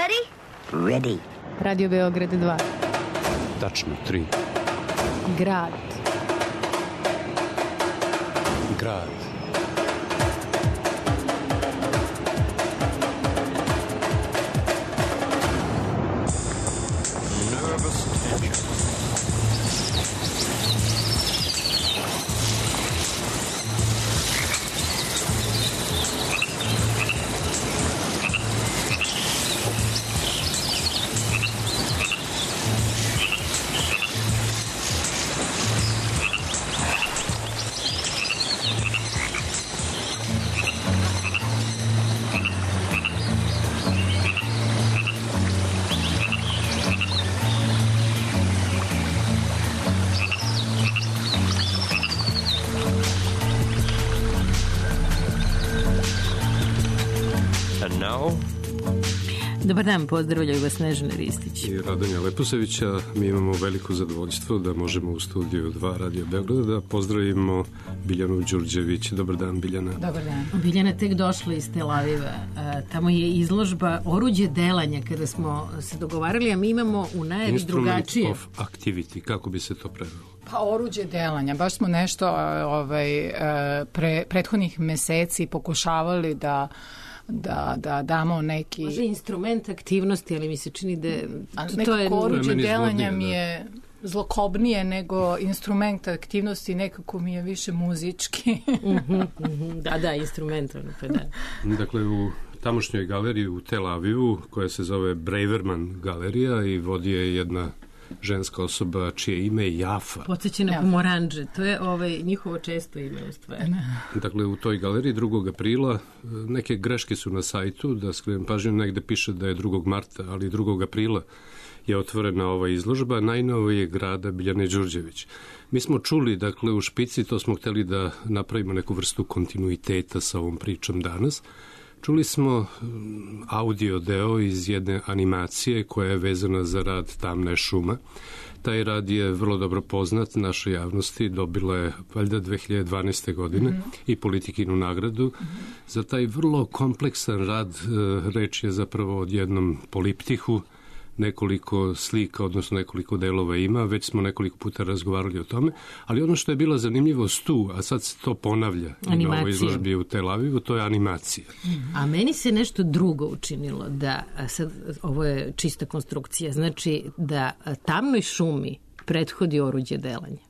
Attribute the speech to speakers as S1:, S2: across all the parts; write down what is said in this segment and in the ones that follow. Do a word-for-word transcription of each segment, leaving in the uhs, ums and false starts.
S1: Ready?
S2: Ready.
S3: Radio Beograd dva.
S4: Tačno tri.
S3: Grad.
S4: Grad.
S5: Nervous tension.
S3: Dobar dan, pozdravljaju vas Snežana Ristić
S4: i Radonja Leposevića. Mi imamo veliko zadovoljstvo da možemo u studiju dva Radio Beograda da pozdravimo Biljanu Đurđević. Dobar dan, Biljana.
S3: Dobar dan. Biljana tek došla iz Tel Aviva. Tamo je izložba Oruđe delanja kada smo se dogovarali, a mi imamo u najavi drugačije.
S4: Instrument of activity, kako bi se to prevelo?
S6: Pa oruđe delanja, baš smo nešto ovaj, pre, prethodnih meseci pokušavali da da, da damo neki...
S3: Može instrument aktivnosti, ali mi se čini da...
S6: To je oruđe delanja mi je zlokobnije nego instrument aktivnosti, nekako mi je više muzički.
S3: uh-huh, uh-huh. Da, da, instrumentalno, pa da.
S4: Dakle, u tamošnjoj galeriji u Tel Avivu, koja se zove Braverman galerija i vodi je jedna ženska osoba čije ime je Jafa.
S3: Podsjeća na pomoranđe, to je ovaj, njihovo često ime u stvari.
S4: Dakle, u toj galeriji drugog aprila, neke greške su na sajtu, da skrenem pažnju, negde piše da je drugog marta, ali drugog aprila je otvorena ova izložba najnovije grada Biljane Đurđević. Mi smo čuli, dakle, u špici, to smo hteli da napravimo neku vrstu kontinuiteta sa ovom pričom danas. Čuli smo audio deo iz jedne animacije koja je vezana za rad Tamna je šuma. Taj rad je vrlo dobro poznat našoj javnosti, dobila je valjda dve hiljade dvanaeste. godine mm-hmm. i Politikinu nagradu. Mm-hmm. Za taj vrlo kompleksan rad reč je zapravo od jednom poliptihu, nekoliko slika, odnosno nekoliko delova ima, već smo nekoliko puta razgovarali o tome, ali ono što je bila zanimljivost tu, a sad se to ponavlja i na ovoj izložbi u Tel Avivu, to je animacija.
S3: A meni se nešto drugo učinilo, da sad ovo je čista konstrukcija, znači da Tamnoj šumi prethodi oruđe delanja.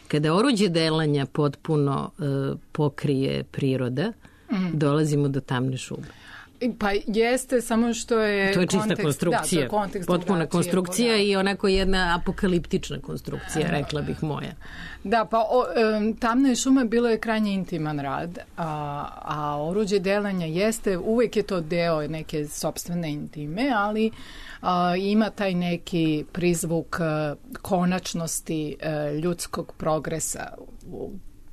S3: Kada oruđe delanja potpuno uh, pokrije priroda, mm. dolazimo do Tamne šume.
S6: Pa jeste, samo što je...
S3: To je čista
S6: kontekst,
S3: konstrukcija,
S6: da, kontekst
S3: potpuna konstrukcija i onako jedna apokaliptična konstrukcija, rekla bih moja.
S6: Da, pa o, um, Tamna je šuma bilo je krajnje intiman rad, a, a oruđe delanja jeste, uvek je to deo neke sopstvene intime, ali a, ima taj neki prizvuk a, konačnosti a, ljudskog progresa u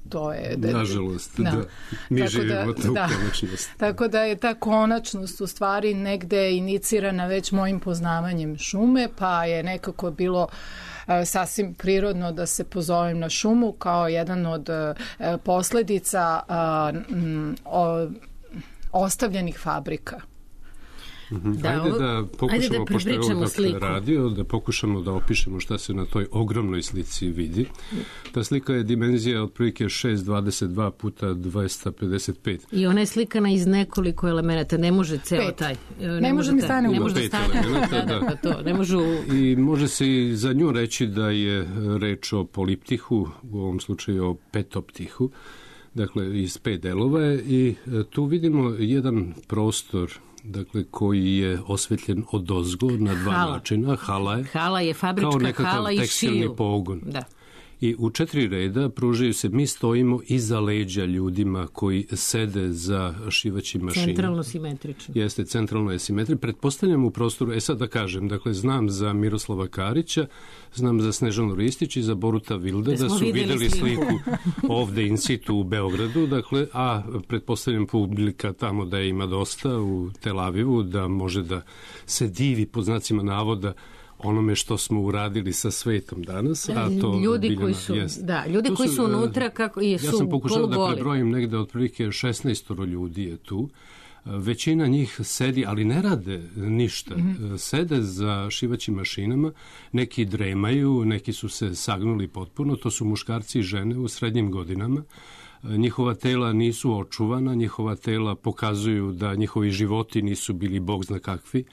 S6: to je... Da,
S4: nažalost, da. da. Mi
S6: tako
S4: živimo
S6: da,
S4: tu
S6: da.
S4: konačnost.
S6: Tako da je ta konačnost u stvari negde inicirana već mojim poznavanjem šume, pa je nekako bilo uh, sasvim prirodno da se pozovem na šumu kao jedan od uh, posledica uh, m, o, ostavljenih fabrika.
S4: Mm-hmm. Da, ajde ovo, da pokušamo,
S3: ajde da
S4: pošto je ovo dakle
S3: sliku.
S4: radio, da pokušamo da opišemo šta se na toj ogromnoj slici vidi. Ta slika je dimenzija otprilike šest dvadeset dva puta dvesta pedeset pet.
S3: I ona je slikana iz nekoliko elemenata, ne može ceo
S6: Pet.
S3: taj.
S6: Ne, ne može ni stane u
S3: ne može da stane. Da, da, pa to, ne može u...
S4: I može se i za nju reći da je reč o poliptihu, u ovom slučaju o petoptihu, dakle iz pet delova je, i tu vidimo jedan prostor, dakle, koji je osvetljen odozgo na dva hala. načina. Hala je,
S3: hala je fabrička hala i šiju.
S4: tekstilni pogon.
S3: Da.
S4: I u četiri reda pružaju se, mi stojimo iza leđa ljudima koji sede za šivaćim mašinom.
S3: Centralno simetrično.
S4: Jeste, centralno je simetrično. Pretpostavljam u prostoru, e sad da kažem, dakle, znam za Miroslava Karića, znam za Snežanu Ristić i za Boruta Vilda, da, da su videli sliku, sliku ovde in situ u Beogradu, dakle, a pretpostavljam publika tamo da je ima dosta u Tel Avivu, da može da se divi pod znacima navoda onome što smo uradili sa svetom danas, a to
S3: ljudi koji su,
S4: jest.
S3: da, ljudi koji su unutra kako i su
S4: ja sam pokušao
S3: polugoli.
S4: Da prebrojim negde otprilike šesnaest ljudi je tu, Većina njih sedi, ali ne rade ništa. Mm-hmm. Sede za šivaćim mašinama, neki dremaju, neki su se sagnuli potpuno, to su muškarci i žene u srednjim godinama. Njihova tela nisu očuvana, njihova tela pokazuju da njihovi životi nisu bili bog zna kakvi.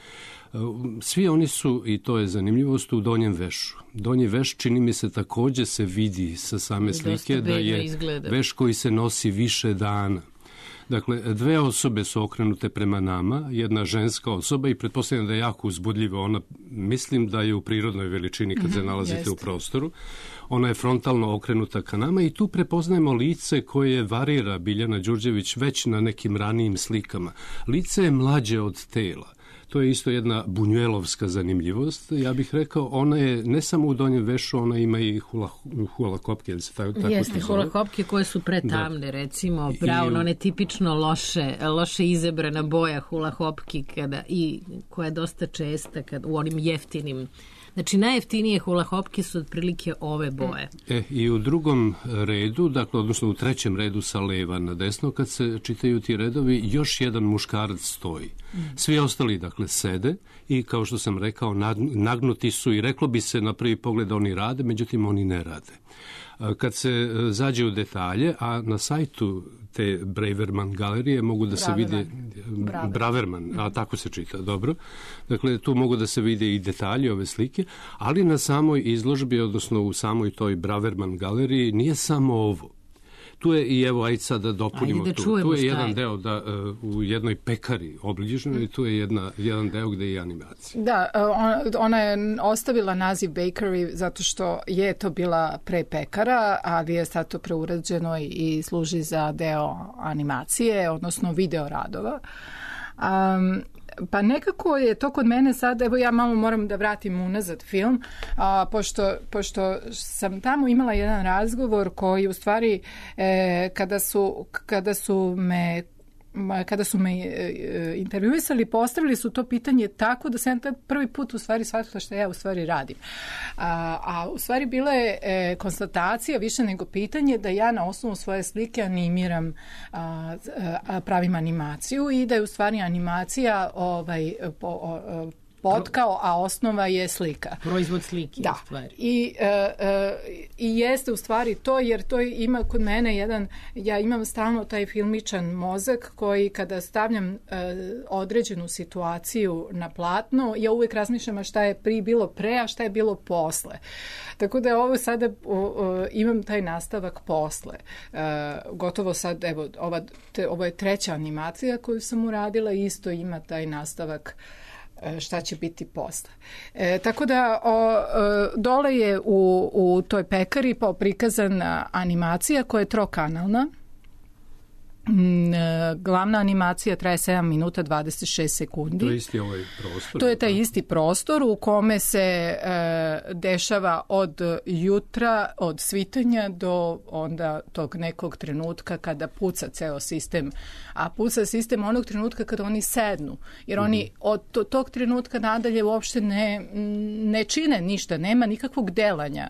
S4: Svi oni su, i to je zanimljivost, u donjem vešu. Donji veš, čini mi se, takođe se vidi sa same slike da je
S3: izgleda.
S4: Veš koji se nosi više dana. Dakle, dve osobe su okrenute prema nama, jedna ženska osoba i pretpostavljam da je jako uzbudljiva. Ona, mislim da je u prirodnoj veličini kad se nalazite
S6: Jeste.
S4: u prostoru. Ona je frontalno okrenuta ka nama i tu prepoznajemo lice koje varira Biljana Đurđević već na nekim ranijim slikama. Lice je mlađe od tela. To je isto jedna bunjuelovska zanimljivost. Ja bih rekao, ona je ne samo u donjem vešu, ona ima i hula, hula kopke. Ili se tako, tako
S3: Jeste, hula kopke koje su pretamne, da. Recimo, brown, one tipično loše, loše izabrana boja hula hopki kada, i koja je dosta česta kad, u onim jeftinim. Znači, najjeftinije hula hopke su otprilike ove boje.
S4: E, i u drugom redu, dakle, odnosno u trećem redu sa leva na desno, kad se čitaju ti redovi, još jedan muškarac stoji. Svi ostali, dakle, sede i, kao što sam rekao, nagnuti su i reklo bi se na prvi pogled oni rade, međutim, oni ne rade. Kad se zađe u detalje, a na sajtu te Braverman galerije mogu da se vide
S6: Braverman.
S4: Braverman, a tako se čita, dobro. Dakle, tu mogu da se vide i detalji ove slike, ali na samoj izložbi, odnosno u samoj toj Braverman galeriji, nije samo ovo. Tu je i evo, ajde sad da dopunimo
S3: da
S4: tu.
S3: Čujemo
S4: tu je jedan
S3: je.
S4: deo da uh, u jednoj pekari obližnjoj i tu je jedna, jedan deo gde je animacija.
S6: Da, ona, ona je ostavila naziv bakery zato što je to bila pre pekara, ali je sad to preurađeno i služi za deo animacije, odnosno video radova. Um, Pa nekako je to kod mene sad, evo ja malo moram da vratim unazad film, a, pošto, pošto sam tamo imala jedan razgovor koji u stvari e, kada, su, kada su me kada su me intervjuisali, postavili su to pitanje tako da sam prvi put u stvari shvatila što ja u stvari radim. A, a u stvari bila je e, konstatacija više nego pitanje da ja na osnovu svoje slike animiram, a, a, pravim animaciju i da je u stvari animacija ovaj, po, o, potkao, a osnova je slika.
S3: Proizvod slike,
S6: da.
S3: u stvari.
S6: I, e, e, i jeste u stvari to, jer to ima kod mene jedan, ja imam stalno taj filmičan mozak koji kada stavljam e, određenu situaciju na platno, ja uvek razmišljam šta je pri bilo pre, a šta je bilo posle. Tako da ovo sada o, o, imam taj nastavak posle. E, gotovo sad, evo, ova, te, ovo je treća animacija koju sam uradila i isto ima taj nastavak šta će biti posle. E, tako da o, dole je u, u toj pekari prikazana animacija koja je trokanalna. Glavna animacija traje sedam minuta dvadeset šest sekundi.
S4: To je isti ovaj prostor.
S6: To je taj isti prostor u kome se e, dešava od jutra, od svitanja do onda tog nekog trenutka kada puca ceo sistem. A puca sistem onog trenutka kada oni sednu. Jer oni mm-hmm. od to, tog trenutka nadalje uopšte ne, ne čine ništa. Nema nikakvog delanja.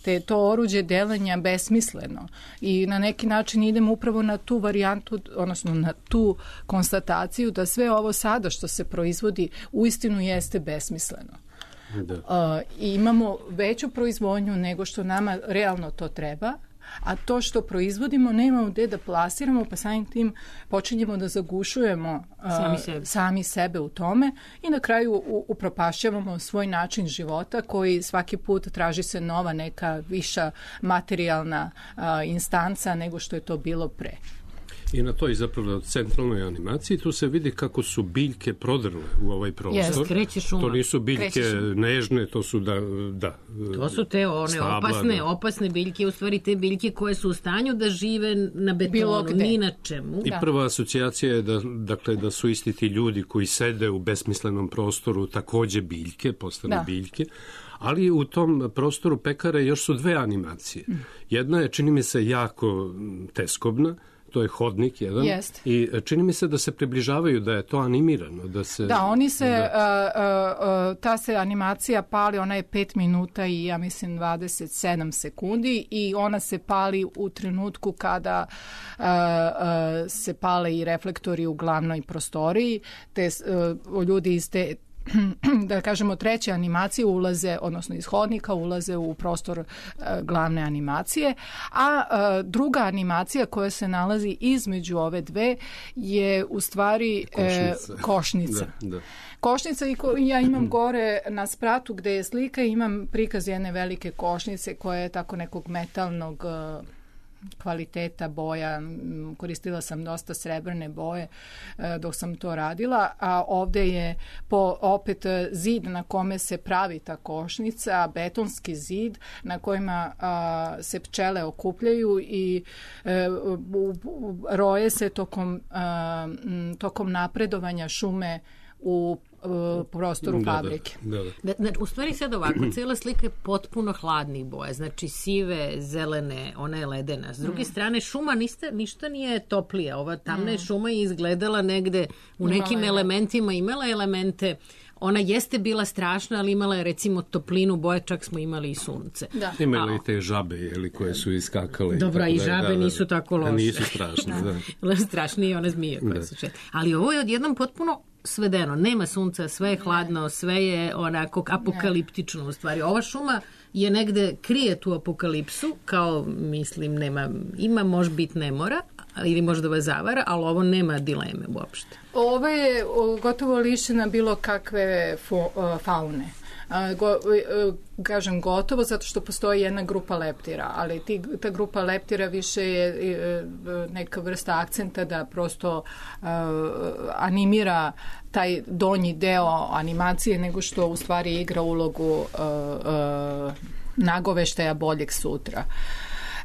S6: Te to oruđe delanja besmisleno i na neki način idemo upravo na tu varijantu, odnosno na tu konstataciju da sve ovo sada što se proizvodi uistinu jeste besmisleno. Da. Uh, i imamo veću proizvodnju nego što nama realno to treba, a to što proizvodimo nemamo gde da plasiramo, pa samim tim počinjemo da zagušujemo uh,
S3: sami, sebe.
S6: sami sebe u tome i na kraju u, upropašćavamo svoj način života koji svaki put traži se nova neka viša materijalna uh, instanca nego što je to bilo pre.
S4: I na toj zapravo centralnoj animaciji tu se vidi kako su biljke prodrle u ovaj prostor.
S3: Yes,
S4: to nisu biljke nežne, to su da, da
S3: to su te one stabla, opasne, da. opasne biljke, u stvari te biljke koje su u stanju da žive na betonu, ni na čemu.
S4: I da. Prva asocijacija je da, dakle, da su isti ti ljudi koji sede u besmislenom prostoru takođe biljke, postane da. biljke. Ali u tom prostoru pekare još su dve animacije. Jedna je, čini mi se, jako teskobna. to je hodnik jedan.
S6: Jest.
S4: I čini mi se da se približavaju, da je to animirano. Da, se,
S6: da oni se,
S4: da...
S6: uh, uh, ta se animacija pali, ona je pet minuta i ja mislim dvadeset sedam sekundi i ona se pali u trenutku kada uh, uh, se pale i reflektori u glavnoj prostoriji, te uh, ljudi iz te da kažemo treće animacije ulaze, odnosno iz hodnika ulaze u prostor e, glavne animacije, a e, druga animacija koja se nalazi između ove dve je u stvari e, košnica. košnica. Da, da. Košnica i ko, ja imam gore na spratu gde je slika, imam prikaz jedne velike košnice koja je tako nekog metalnog e, kvaliteta boja, koristila sam dosta srebrne boje dok sam to radila, a ovde je po, opet zid na kome se pravi ta košnica, betonski zid na kojima a, se pčele okupljaju i e, u, u, roje se tokom, a, tokom napredovanja šume u u prostoru da, fabrike.
S4: Da, da,
S3: da. Da, u stvari sad ovako, cijela slika je potpuno hladnih boja, znači sive, zelene, ona je ledena. S druge mm. strane, šuma niste, ništa nije toplija. Ova tamna mm. šuma je izgledala negde u nekim imala elementima, imala elemente. Ona jeste bila strašna, ali imala je recimo toplinu boje, čak smo imali i sunce.
S4: Da. Imali i te žabe jeli, koje su iskakale.
S3: Dobro, i, i žabe da, da, nisu tako loše.
S4: Nisu strašne, da.
S3: Strašnije one zmije koje da. su čete. Ali ovo je odjednom potpuno svedeno. Nema sunca, sve je hladno, sve je onako apokaliptično u stvari. Ova šuma je negde krije tu apokalipsu, kao mislim nema, ima možda bit ne mora, ili možda vas zavara, ali ovo nema dileme uopšte.
S6: Ovo je gotovo lišena bilo kakve faune. Go, kažem gotovo zato što postoji jedna grupa leptira, ali ti, ta grupa leptira više je neka vrsta akcenta da prosto uh, animira taj donji deo animacije nego što u stvari igra ulogu uh, uh, nagoveštaja boljeg sutra.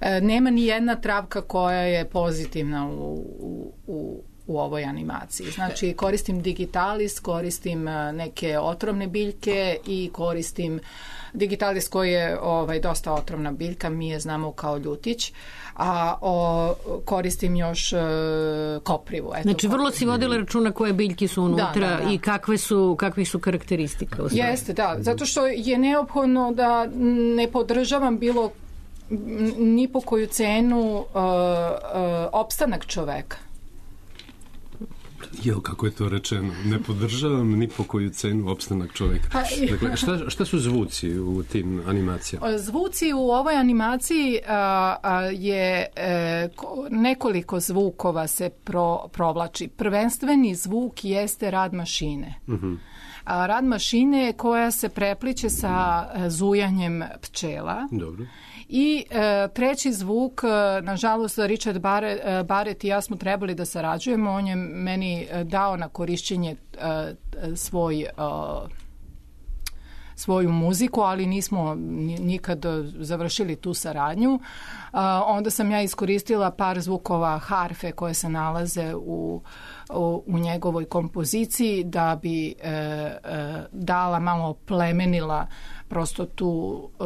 S6: Uh, nema ni jedna travka koja je pozitivna u, u, u u ovoj animaciji. Znači, koristim digitalis, koristim neke otrovne biljke i koristim digitalis koji je ovaj, dosta otrovna biljka, mi je znamo kao ljutić, a o, koristim još e, koprivu. Eto,
S3: znači, vrlo si vodila računa koje biljke su unutra da, da, da. i kakve su, kakvi su karakteristike.
S6: Jeste, da. Zato što je neophodno da ne podržavam bilo ni po koju cenu uh, uh, opstanak čoveka.
S4: Jo, kako je to rečeno? Ne podržavam ni po koju cenu opstanak čovjeka. Dakle, šta, šta su zvuci u tim animacijama?
S6: Zvuci u ovoj animaciji a, a, je e, nekoliko zvukova se pro, provlači. Prvenstveni zvuk jeste rad mašine. Uh-huh. A, rad mašine koja se prepliče sa zujanjem pčela. Dobro. I e, treći zvuk, e, nažalost, Richard Barrett, e, Barrett i ja smo trebali da sarađujemo. On je meni dao na korišćenje e, svoj, e, svoju muziku, ali nismo nikad završili tu saradnju. E, onda sam ja iskoristila par zvukova harfe koje se nalaze u, u, u njegovoj kompoziciji da bi e, e, dala, malo plemenila prosto tu... E,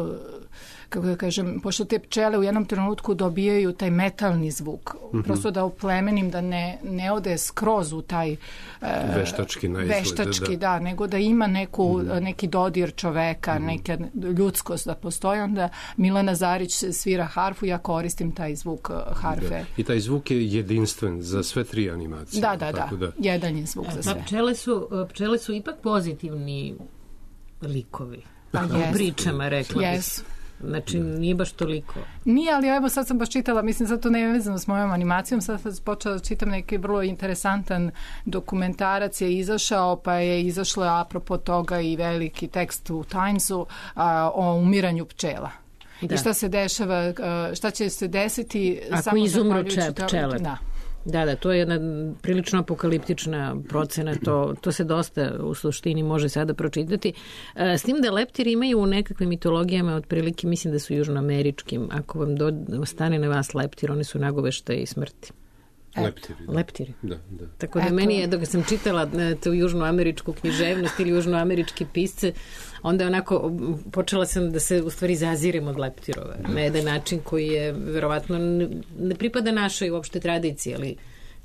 S6: kako da kažem, pošto te pčele u jednom trenutku dobijaju taj metalni zvuk, mm-hmm. prosto da oplemenim, da ne, ne ode skroz u taj uh,
S4: veštački na izgled,
S6: veštački, da. da, nego da ima neku, mm-hmm. neki dodir čoveka, mm-hmm. neka ljudskost da postoji, onda Milana Zarić svira harfu, ja koristim taj zvuk harfe. Da.
S4: I taj zvuk je jedinstven za sve tri animacije.
S6: Da, da, da, da. Jedan je zvuk za sve.
S3: Da, pčele su, pčele su ipak pozitivni likovi. Pa u pričama, rekla bih.
S6: Jesu.
S3: Znači, nije baš toliko.
S6: Nije, ali evo sad sam baš čitala, mislim, sad to ne je vezano s mojom animacijom, sad sam počela da čitam neki vrlo interesantan dokumentarac je izašao, pa je izašlo apropo toga i veliki tekst u Timesu a, o umiranju pčela. Da. I šta se dešava, šta će se desiti
S3: ako
S6: samo
S3: izumru pčele.
S6: Da.
S3: Da, da, to je jedna prilično apokaliptična procena, to, to se dosta u suštini može sada pročitati. S tim da leptiri imaju u nekakvim mitologijama, otprilike mislim da su južnoameričkim, ako vam do, stane na vas leptir, oni su nagoveštaji smrti.
S4: Leptiri. Da.
S3: Leptiri.
S4: Da, da.
S3: Tako da
S6: Eto.
S3: meni je, dok sam čitala tu južnoameričku književnost ili južnoameričke pisce, onda onako počela sam da se u stvari zazirem od leptirova na jedan način koji je verovatno ne pripada našoj uopšte tradiciji, ali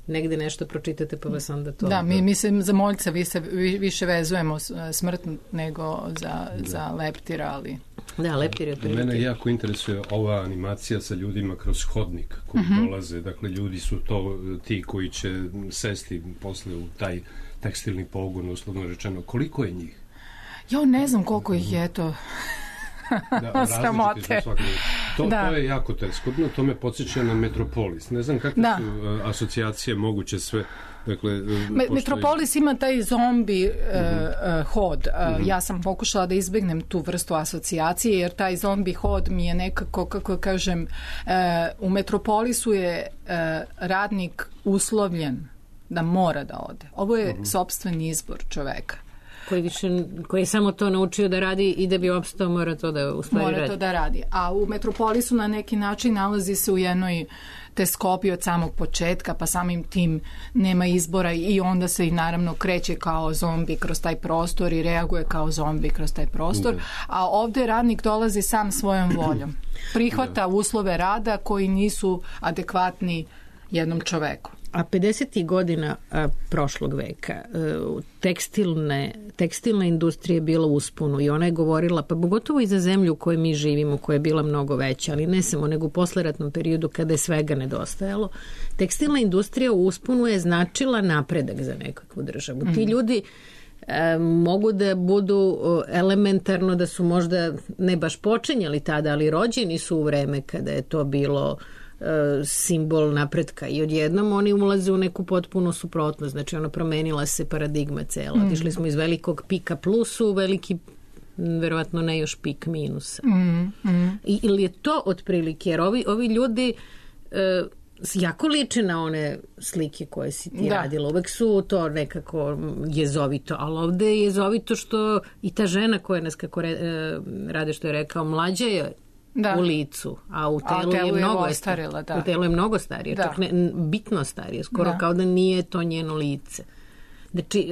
S3: negde nešto pročitate pa vas onda to...
S6: Da, mi mislim za moljca vi se vi, više vezujemo smrt nego za, da. za leptira, ali...
S3: Da, leptir je otprilike.
S4: Mene jako interesuje ova animacija sa ljudima kroz hodnik koji uh-huh. dolaze. Dakle, ljudi su to ti koji će sesti posle u taj tekstilni pogon, uslovno rečeno. Koliko je njih?
S6: Jo, ne znam koliko ih je to.
S4: Da,
S6: sramote.
S4: To,
S6: da.
S4: to je jako teskobno, to me podsjeća na Metropolis. Ne znam kakve
S6: da.
S4: su uh, asocijacije moguće sve. Dakle,
S6: Me, Metropolis ima taj zombi uh-huh. uh, hod. Uh, uh-huh. Ja sam pokušala da izbegnem tu vrstu asocijacije, jer taj zombi hod mi je nekako, kako kažem, uh, u Metropolisu je uh, radnik uslovljen da mora da ode. Ovo je uh-huh. sopstveni izbor čoveka.
S3: Koji, više, koji je samo to naučio da radi i da bi opstao mora to da u stvari
S6: mora
S3: radi.
S6: to da radi. A u Metropolisu na neki način nalazi se u jednoj teskopi od samog početka, pa samim tim nema izbora i onda se i naravno kreće kao zombi kroz taj prostor i reaguje kao zombi kroz taj prostor. Da. A ovde radnik dolazi sam svojom voljom. Prihvata da. uslove rada koji nisu adekvatni jednom čoveku.
S3: A pedesetih godina a, prošlog veka a, tekstilne, tekstilna industrija je bila usponu i ona je govorila, pa pogotovo i za zemlju u kojoj mi živimo, koja je bila mnogo veća, ali ne samo, nego u posleratnom periodu kada je svega nedostajalo. Tekstilna industrija u usponu je značila napredak za nekakvu državu. Mm. Ti ljudi e, mogu da budu elementarno, da su možda ne baš počinjali tada, ali rođeni su u vreme kada je to bilo simbol napretka i odjednom oni ulaze u neku potpuno suprotnost, znači ono promenila se paradigma cela. Mm. Otišli smo iz velikog pika plusu u veliki, verovatno ne još pik minusa.
S6: Mm. Mm.
S3: I, ili je to otprilike, jer ovi, ovi ljudi e, jako liče na one slike koje si ti
S6: da.
S3: radila. Uvek su to nekako jezovito, ali ovde je jezovito što i ta žena koja nas kako re, e, rade što je rekao, mlađa je da. u licu, a u telu, a telu je, je mnogo
S6: ostarila, da.
S3: u telu je mnogo starije, da. čak ne, bitno starije, skoro da. kao da nije to njeno lice. Znači,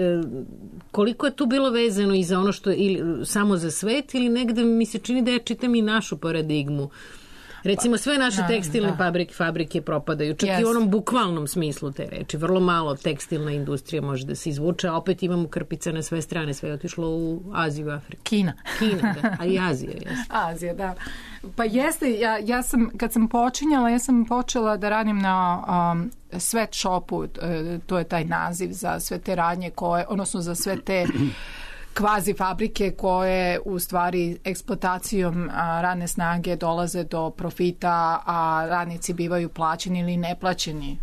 S3: koliko je tu bilo vezano i za ono što, ili samo za svet, ili negde mi se čini da ja čitam i našu paradigmu. Recimo, sve naše da, tekstilne da. fabrike, fabrike propadaju, čak yes. i u onom bukvalnom smislu te reči. Vrlo malo tekstilna industrija može da se izvuče, a opet imamo krpica na sve strane, sve je otišlo u Aziju, Afriku.
S6: Kina.
S3: Kina, da, a i Azija. Jeste.
S6: Azija, da. Pa jeste, ja, ja sam, kad sam počinjala, ja sam počela da radim na um, sweatshopu, to je taj naziv za sve te radnje koje, odnosno za sve te kvazi fabrike koje u stvari eksploatacijom a, radne snage dolaze do profita, a radnici bivaju plaćeni ili neplaćeni,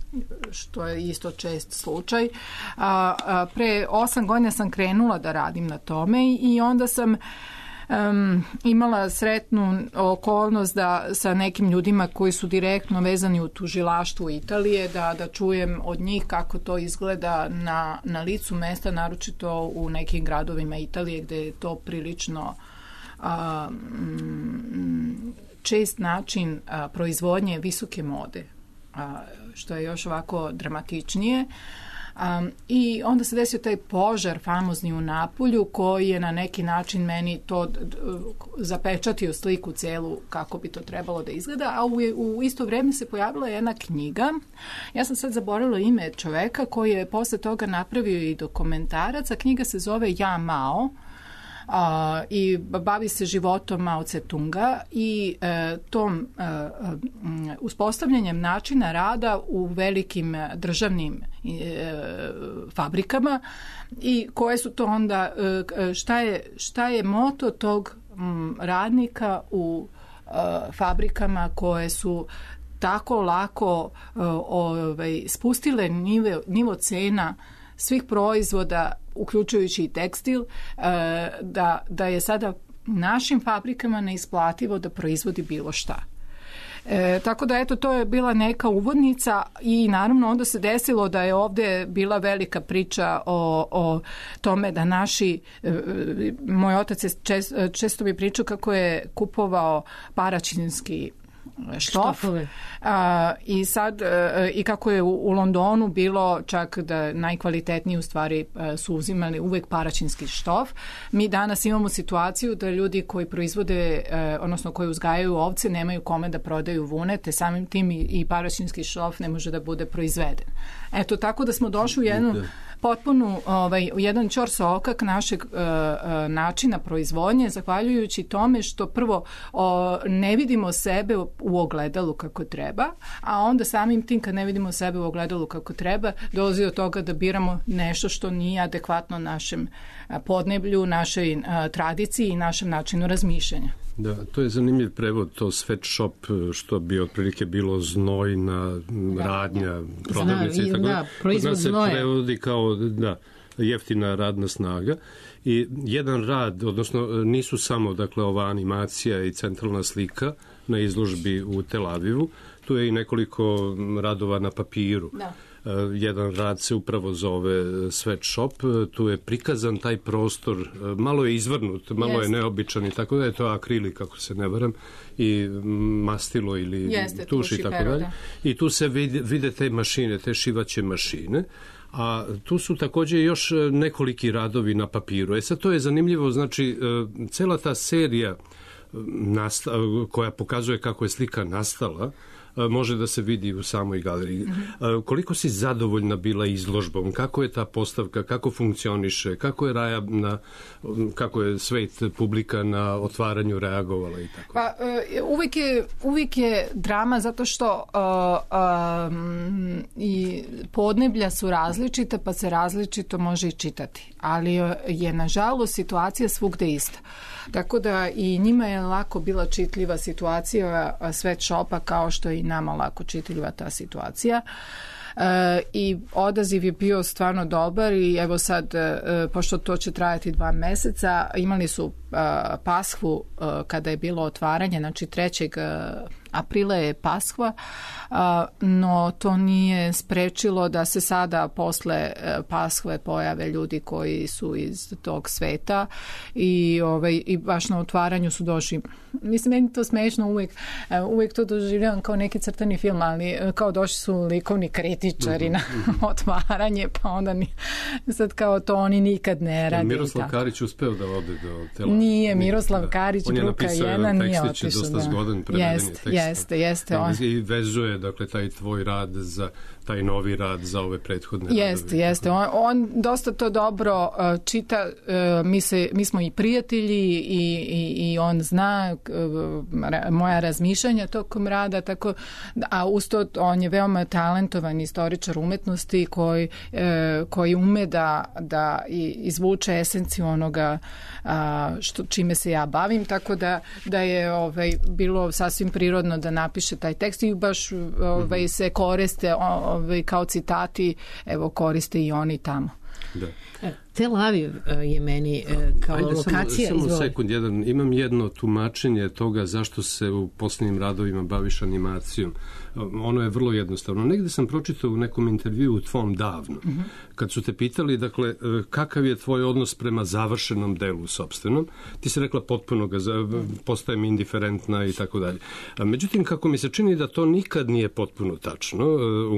S6: što je isto čest slučaj. A, a, pre osam godina sam krenula da radim na tome i onda sam Um, imala sretnu okolnost da sa nekim ljudima koji su direktno vezani u tužilaštvu Italije, da, da čujem od njih kako to izgleda na, na licu mesta, naročito u nekim gradovima Italije gde je to prilično um, čest način a, proizvodnje visoke mode, a, što je još ovako dramatičnije. Um, I onda se desio taj požar famozni u Napulju koji je na neki način meni to d- d- zapečatio sliku celu kako bi to trebalo da izgleda, a u, u isto vreme se pojavila jedna knjiga. Ja sam sad zaboravila ime čoveka koji je posle toga napravio i dokumentarac, a knjiga se zove Ja Mao. Uh, i bavi se životom Mao Tse-tunga i uh, tom uh, um, uspostavljanjem načina rada u velikim državnim uh, fabrikama i koje su to onda, uh, šta je, šta je moto tog um, radnika u uh, fabrikama koje su tako lako uh, ovaj, spustile nivo, nivo cena svih proizvoda, uključujući i tekstil, da, da je sada našim fabrikama neisplativo da proizvodi bilo šta. E, tako da, eto, to je bila neka uvodnica i naravno onda se desilo da je ovde bila velika priča o, o tome da naši, e, moj otac je čest, često bi pričao kako je kupovao paraćinski štof. A, i sad a, i kako je u, u Londonu bilo čak da najkvalitetniji u stvari a, su uzimali uvek paraćinski štof. Mi danas imamo situaciju da ljudi koji proizvode, a, odnosno koji uzgajaju ovce nemaju kome da prodaju vune, te samim tim i, i paraćinski štof ne može da bude proizveden. Eto, tako da smo došli u jednu potpunu, ovaj, u jedan ćorsokak našeg uh, uh, načina proizvodnje, zahvaljujući tome što prvo o, ne vidimo sebe u ogledalu kako treba, a onda samim tim kad ne vidimo sebe u ogledalu kako treba, dolazi do toga da biramo nešto što nije adekvatno našem podneblju, našoj uh, tradiciji i našem načinu razmišljanja.
S4: Da, to je zanimljiv prevod, to sweatshop, što bi otprilike bilo znojna da, radnja, prodavnica i tako da. Proizvod znoja. Se prevodi kao da, jeftina radna snaga i jedan rad, odnosno nisu samo dakle ova animacija i centralna slika na izložbi u Tel Avivu, tu je i nekoliko radova na papiru. Da. Jedan rad se upravo zove sweatshop, tu je prikazan taj prostor, malo je izvrnut, malo Jeste. je neobičan i tako da je to akrilik, ako se ne varam, i mastilo ili
S6: Jeste,
S4: tuš i tako dalje. I tu se vide, vide te mašine, te šivaće mašine, a tu su također još nekoliki radovi na papiru. E sad to je zanimljivo, znači cela ta serija nasta, koja pokazuje kako je slika nastala, može da se vidi u samoj galeriji. Mm-hmm. Koliko si zadovoljna bila izložbom? Kako je ta postavka? Kako funkcioniše? Kako je Raja na, kako je svet, publika na otvaranju reagovala i tako?
S6: Pa, uvijek je, uvijek je drama zato što uh, um, i podneblja su različita, pa se različito može i čitati. Ali je, nažalost, situacija svugde ista. Tako da i njima je lako bila čitljiva situacija sweatshopa kao što je i nama lako čitljiva ta situacija. E, i odaziv je bio stvarno dobar i evo sad, e, pošto to će trajati dva meseca, imali su e, Paskvu e, kada je bilo otvaranje, znači trećeg aprila je Paskva, no to nije sprečilo da se sada posle Paskve pojave ljudi koji su iz tog sveta i, ovaj, i baš na otvaranju su došli. Mislim, meni to smešno uvijek, uvijek to doživljavam kao neki crtani film, ali kao došli su likovni kritičari na otvaranje, pa onda ni, sad kao to oni nikad ne rade.
S4: Miroslav Karić uspeo da ode do Tel Aviva.
S6: Nije, Miroslav Karić, bruka jedna, nije otišao.
S4: On je napisao jedan tekstić, dosta zgodan prevedeni tekst.
S6: Jeste, jeste. On.
S4: I vezuje, dakle, taj tvoj rad za taj novi rad za ove prethodne radove.
S6: Jeste, jeste. On, on dosta to dobro uh, čita. Uh, mi, se, mi smo i prijatelji i, i, i on zna uh, moja razmišljanja tokom rada, tako, a usto on je veoma talentovan istoričar umetnosti koji, uh, koji ume da, da izvuče esenciju onoga uh, što, čime se ja bavim, tako da, da je ovaj, bilo sasvim prirodno da napiše taj tekst i baš ovaj, se koriste ovaj, kao citati, evo koriste i oni tamo.
S4: Da.
S3: Tel Aviv je meni kao Ajde, lokacija.
S4: Samo, samo sekund, jedan, imam jedno tumačenje toga zašto se u posljednjim radovima baviš animacijom. Ono je vrlo jednostavno. Negde sam pročitao u nekom intervju u tvom davno, mm-hmm. kad su te pitali, dakle, kakav je tvoj odnos prema završenom delu sopstvenom, ti si rekla potpuno ga, postajem indiferentna i tako dalje. Međutim, kako mi se čini da to nikad nije potpuno tačno,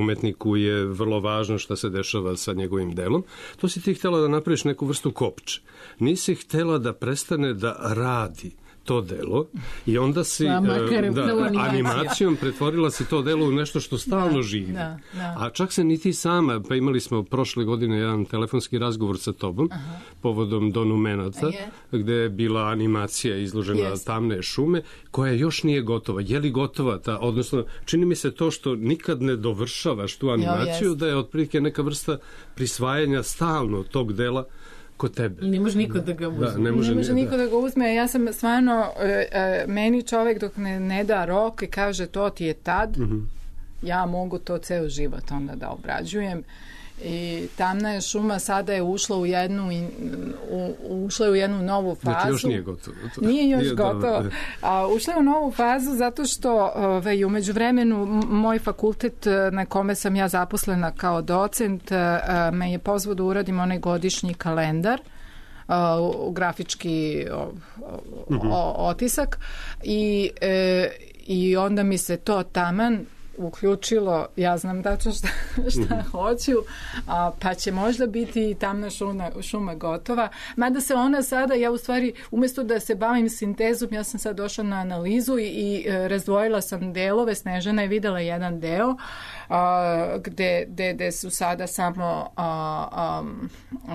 S4: umetniku je vrlo važno šta se dešava sa njegovim delom, to si ti htjela da napraviš neku vrstu kopče. Nisi htjela da prestane da radi to delo i onda si da, da, animacijom pretvorila si to delo u nešto što stalno da, živi. Da, da. A čak se ni ti sama, pa imali smo prošle godine jedan telefonski razgovor sa tobom Aha. povodom Donumenata, je. gde je bila animacija izložena yes. Tamne šume, koja još nije gotova. Je li gotova ta, odnosno čini mi se to što nikad ne dovršavaš tu animaciju, jo, da je otprilike neka vrsta prisvajanja stalno tog dela kod tebe.
S3: Ne može niko da ga uzme.
S6: Da, ne može, ne može niko da. da ga uzme. Ja sam stvarno, e, e, meni čovjek dok ne, ne da rok i kaže to ti je tad, mm-hmm. ja mogu to ceo život onda da obrađujem. I Tamna je šuma sada je ušla u jednu u, ušla je u jednu novu fazu.
S4: Znači još nije gotovo. To.
S6: Nije još nije gotovo. Da, a, ušla je u novu fazu zato što ovaj, u međuvremenu moj fakultet na kome sam ja zaposlena kao docent a, me je pozvao da uradim onaj godišnji kalendar uh, grafički o, o, otisak i, e, i onda mi se to taman uključilo, ja znam tačno šta, šta mm-hmm. hoću, a, pa će možda biti i tamna šuma, šuma gotova. Mada se ona sada, ja u stvari, umjesto da se bavim sintezom, ja sam sad došla na analizu i, i e, razdvojila sam delove. Snežana je videla jedan deo a, gde, gde, gde su sada samo a, a,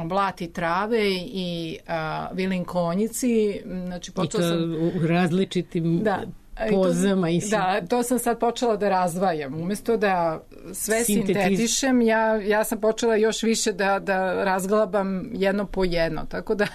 S6: blati trave i a, vilin konjici. Znači, počela
S3: I to
S6: sam,
S3: u različitim...
S6: Da.
S3: pozama i
S6: da, to sam sad počela da razdvajam. Umjesto da sve sintetišem, ja, ja sam počela još više da, da razglabam jedno po jedno. Tako da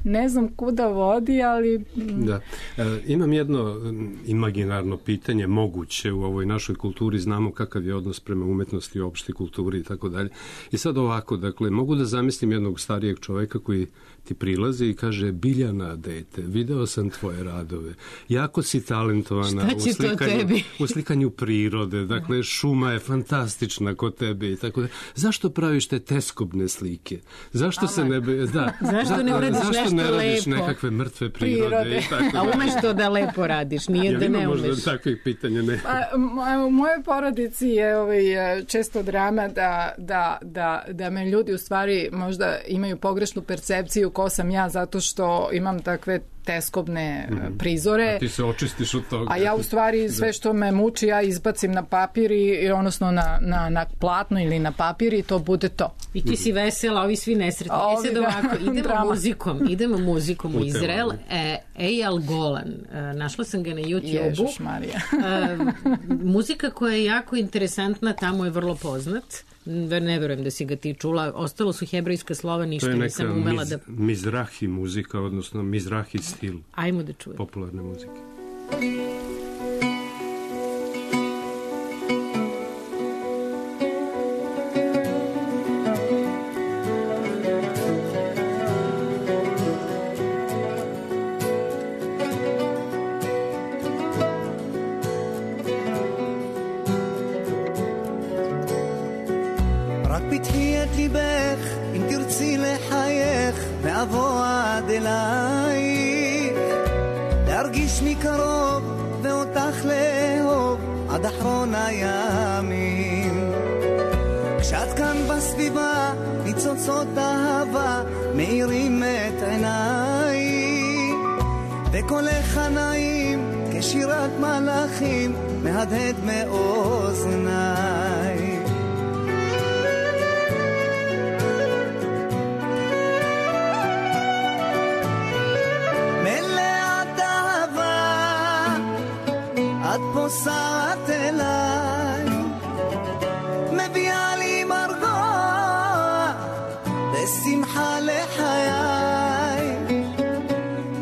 S6: ne znam kuda vodi, ali...
S4: Da. E, imam jedno imaginarno pitanje, moguće u ovoj našoj kulturi, znamo kakav je odnos prema umetnosti, opšte kulturi i tako dalje. I sad ovako, dakle, mogu da zamislim jednog starijeg čoveka koji ti prilazi i kaže: Biljana, dete, video sam tvoje radove. Jako si talentovana u slikanju, u slikanju prirode. Dakle, šuma je fantastična kod tebe i tako da. Zašto praviš te teskobne slike? Zašto Ama. se ne... Da,
S3: zašto ne uradiš
S4: zašto
S3: nešto
S4: ne radiš
S3: lepo?
S4: Nekakve mrtve prirode, prirode. I tako da.
S3: A umeš to da lepo radiš, nije ja, da ne umeš.
S4: Možda takvih pitanja ne.
S6: A, u mojoj porodici je ovaj, često drama da, da, da, da me ljudi u stvari možda imaju pogrešnu percepciju ko sam ja, zato što imam takve teskobne mm-hmm. prizore.
S4: A ti se očistiš od toga.
S6: A ja u stvari sve što me muči ja izbacim na papir i odnosno na, na, na platno ili na papir i to bude to.
S3: I ti si vesela, ovi svi nesretni. E sad ovako, idemo muzikom, idemo muzikom u Izrael. E, Eyal Golan, e, našla sam ga na YouTube-u.
S6: Ježuš Marija.
S3: e, muzika koja je jako interesantna, tamo je vrlo poznat. Ne verujem da si ga ti čula. Ostalo su hebrejska slova, ništa nisam umela
S4: miz,
S3: da...
S4: mizrahi muzika, odnosno mizrahi stil.
S3: Ajmo da čujem.
S4: Popularne muzike.
S1: ואבוא עד אלייך להרגיש מקרוב ואותך לאהוב עד אחרון הימים כשאת כאן בסביבה ניצוצות אהבה מאירים את עיניי וקולך הנעים כשירת מלאכים מהדהד מאוזניי את פוסעת אליי מביאה לי מרגוע ושמחה לחיי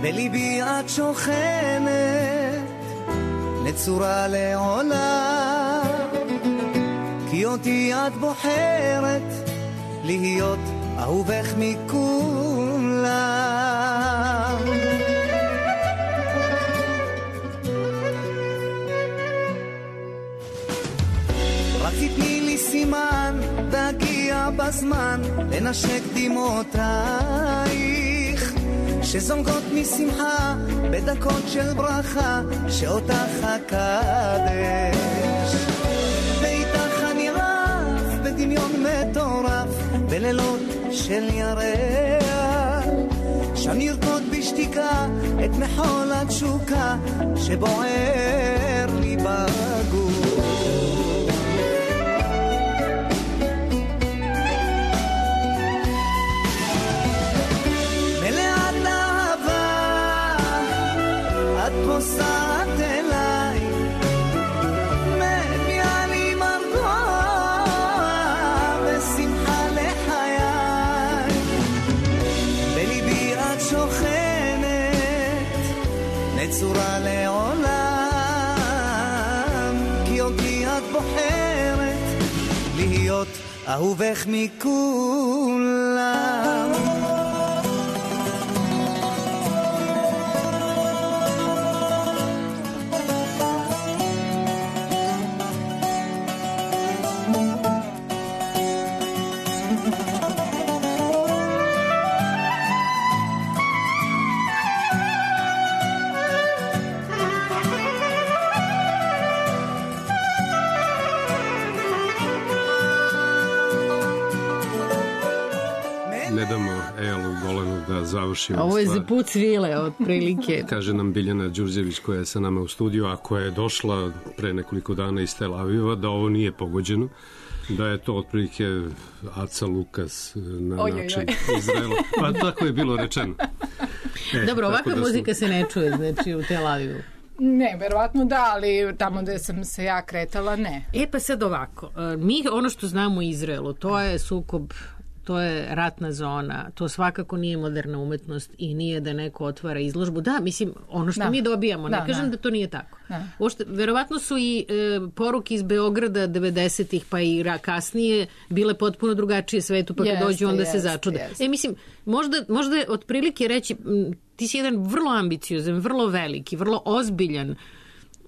S1: בליבי את שוכנת נצורה לעולה כי אותי את בוחרת להיות אהובך מכולם תתני לי סימן והגיע בזמן לנשק דמעותייך שזונגות משמחה בדקות של ברכה שאותך הקדש ואיתך אני רב בדמיון מטורף בלילות של ירח שם נרקוד בשתיקה את מחול התשוקה שבוער לי בגוף פוסעת אליי מביאה לי מרגוע ושמחה לחיי בליבי את שוכנת נצורה לעולם כי אותי את בוחרת להיות אהובך מכולם
S4: završimo.
S3: Ovo je
S4: stvar.
S3: za put svile, otprilike.
S4: Kaže nam Biljana Đurđević koja je sa nama u studiju, a koja je došla pre nekoliko dana iz Tel Aviva, da ovo nije pogođeno, da je to otprilike Aca Lukas na
S6: oj,
S4: način
S6: oj,
S4: Izraela. Pa tako je bilo rečeno. E,
S3: Dobro, ovakva
S4: da smo...
S3: muzika se ne čuje, znači, u Tel Avivu.
S6: Ne, verovatno da, ali tamo gde sam se ja kretala, ne.
S3: E pa sad ovako, mi ono što znamo u Izraelu, to je sukob, to je ratna zona, to svakako nije moderna umetnost i nije da neko otvara izložbu. Da, mislim, ono što
S6: da.
S3: mi dobijamo, ne
S6: da,
S3: kažem da.
S6: da
S3: to nije tako.
S6: Da.
S3: Ošte, verovatno su i e, poruke iz Beograda devedesetih pa i ra, kasnije bile potpuno drugačije svetu, pa kad
S6: jeste,
S3: dođu onda
S6: jeste,
S3: se začude.
S6: Jeste.
S3: E, mislim, možda, možda je otprilike reći, m, ti si jedan vrlo ambiciozan, vrlo veliki, vrlo ozbiljan